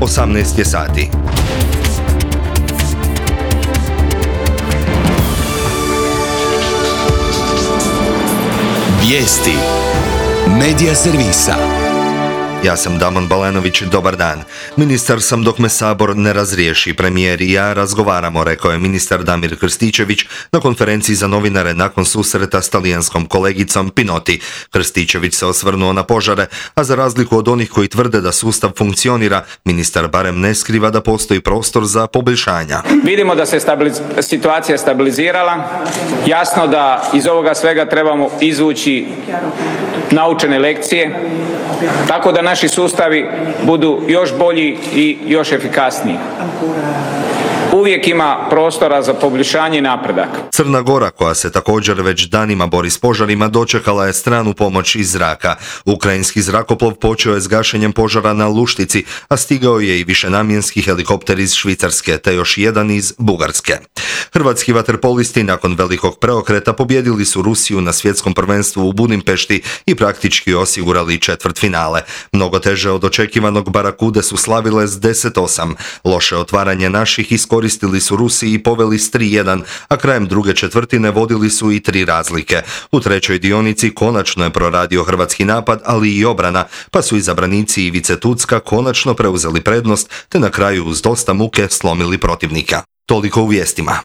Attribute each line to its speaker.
Speaker 1: 18 je sati.
Speaker 2: Vijesti Medija servisa.
Speaker 1: Ja sam Damon Balenović, dobar dan. Ministar sam dok me Sabor ne razriješi. Premijer i ja razgovaramo, rekao je ministar Damir Krstičević na konferenciji za novinare nakon susreta s talijanskom kolegicom Pinoti. Krstičević se osvrnuo na požare, a za razliku od onih koji tvrde da sustav funkcionira, ministar barem ne skriva da postoji prostor za poboljšanja.
Speaker 3: Vidimo da se situacija stabilizirala. Jasno da iz ovoga svega trebamo izvući naučene lekcije, tako da naši sustavi budu još bolji i još efikasniji. Uvijek ima prostora za poboljšanje i napredak.
Speaker 1: Crna Gora, koja se također već danima bori s požarima, dočekala je stranu pomoć iz zraka. Ukrajinski zrakoplov počeo je s gašenjem požara na Luštici, a stigao je i višenamjenski helikopter iz Švicarske, te još jedan iz Bugarske. Hrvatski vaterpolisti nakon velikog preokreta pobijedili su Rusiju na svjetskom prvenstvu u Budimpešti i praktički osigurali četvrtfinale. Mnogo teže od očekivanog Barakude su slavile s 10-8. Loše otvaranje naših iskoristili su Rusi i poveli s 3-1, a krajem druge četvrtine vodili su i 3 razlike. U trećoj dionici konačno je proradio hrvatski napad, ali i obrana, pa su izabranici Ivice Tucka konačno preuzeli prednost, te na kraju uz dosta muke slomili protivnika. Toliko u vijestima.